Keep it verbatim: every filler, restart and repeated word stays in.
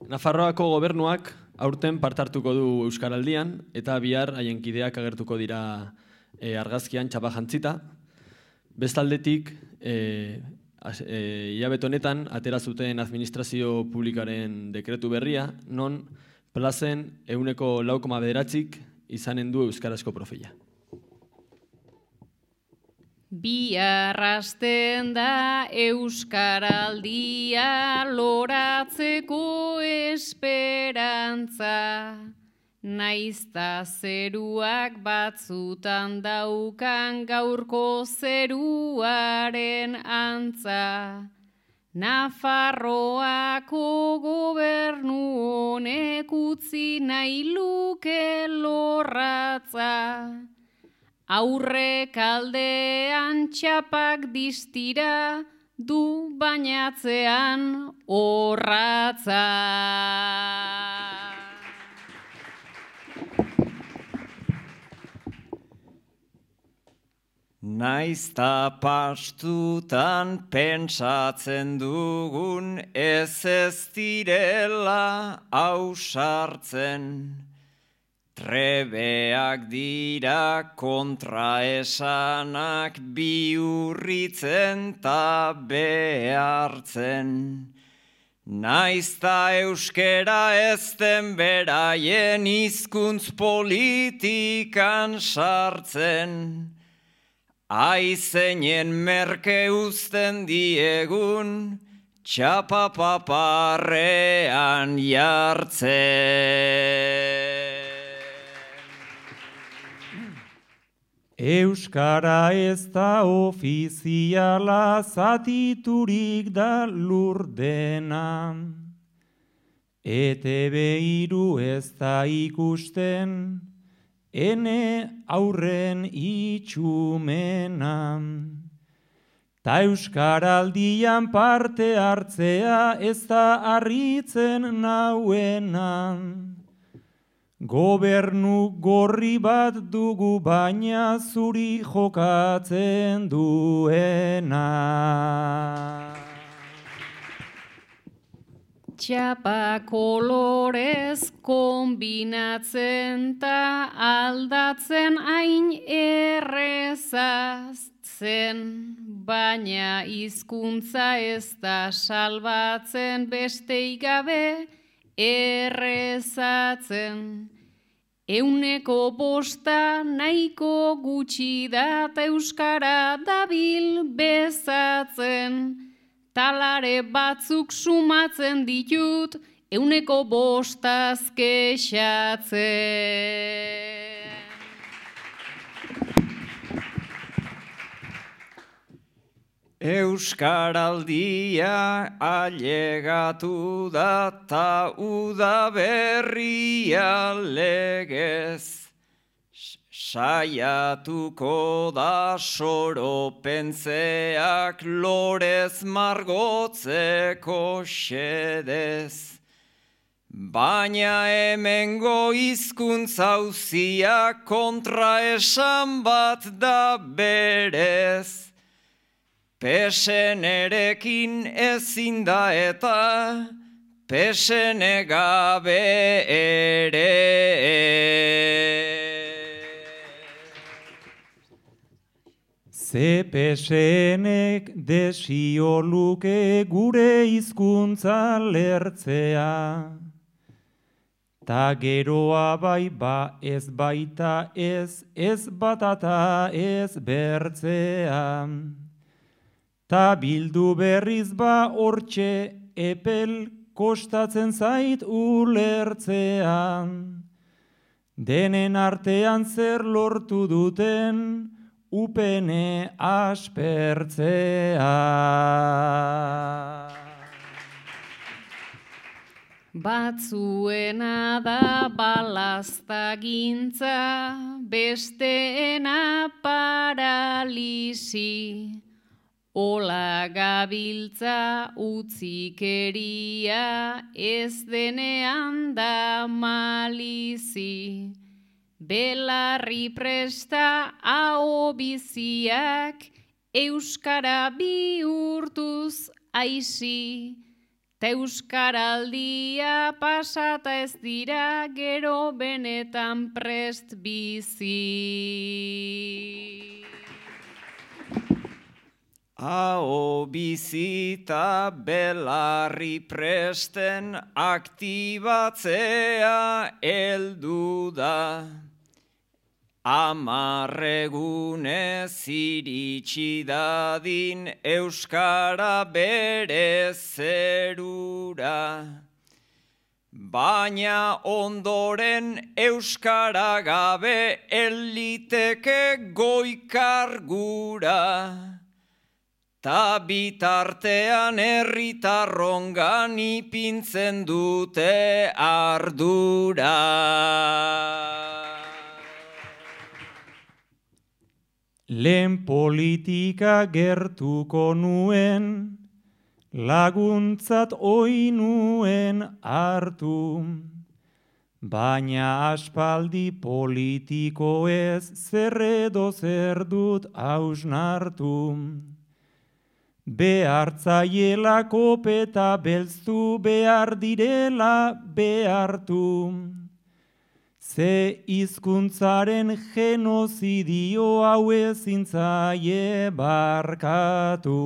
Nafarroako gobernuak aurten partartuko du Euskaraldian eta bihar haien kideak agertuko dira e, argazkian txapa jantzita. Bestaldetik, e, e, hilabete honetan atera zuten administrazio publikaren dekretu berria, non plazen ehuneko lau koma bederatzik izanen du euskarazko profila. Biarrasten da Euskaraldia loratzeko esperantza, naizta zeruak batzutan daukan gaurko zeruaren antza. Nafarroako gobernu honek utzi nahi luke lorratza. Aurrek aldean txapak distira, du bainatzean orratza. Naizta pastutan pentsatzen dugun ez ez direla ausartzen. Trebeak dira kontraesanak bihurritzen ta behartzen. Naizta euskera ez den beraien hizkuntz politikan sartzen. Aizeinen merke uzten diegun, txapapaparrean jartzen. Euskara ez da ofiziala, zatiturik da lurdena. E te be hiru ez da ikusten, ene aurren itxumena. Ta Euskaraldian parte hartzea ez da harritzen nauena. Gobernu gorri bat dugu baina zuri jokatzen duena. Txapa kolorez kombinatzen ta aldatzen hain errezaz zen, baina hizkuntza ez da salbatzen besteik gabe errezatzen. Euneko bosta nahiko gutxi da ta euskara dabil bezatzen. Talare batzuk sumatzen ditut euneko bostaz kexatzen. Euskaraldia ailegatu da ta udaberria legez. Saiatuko da soropentzeak lorez margotzeko xedez. Baina hemengo hizkuntza auziak kontraesan bat da berez. Pesenerekin ezin da eta pesene gabe ere. Ze pesenek desio luke gure hizkuntza lertzea. Ta geroa bai ba ez baita ez, ez batata ez bertzea. Ta bildu berriz ba hortxe epel kostatzen zait ulertzean. Denen artean zer lortu duten upene aspertzea. Batzuena da balaztagintza, besteena paralisi. Ola gabiltza utzikeria, ez denean da malizi. Belarri presta aho biziak, euskara bihurtuz aisi. Ta euskaraldia pasata ez dira gero benetan prest bizi. Aho bizita belarri presten aktibatzea heldu da. Amarregunez iritsi dadin euskara bere zerura. Baina ondoren euskara gabe eliteke goikargura. Ta bitartean herritarrongan ipintzen dute ardura. Lehen politika gertuko nuen, laguntzat oi nuen hartu. Baina aspaldi politiko ez zer edo zer dut hausnartu. Behartzaiela kopeta belztu behar direla behartu. Ze hizkuntzaren genozidio hau ezin zaie barkatu.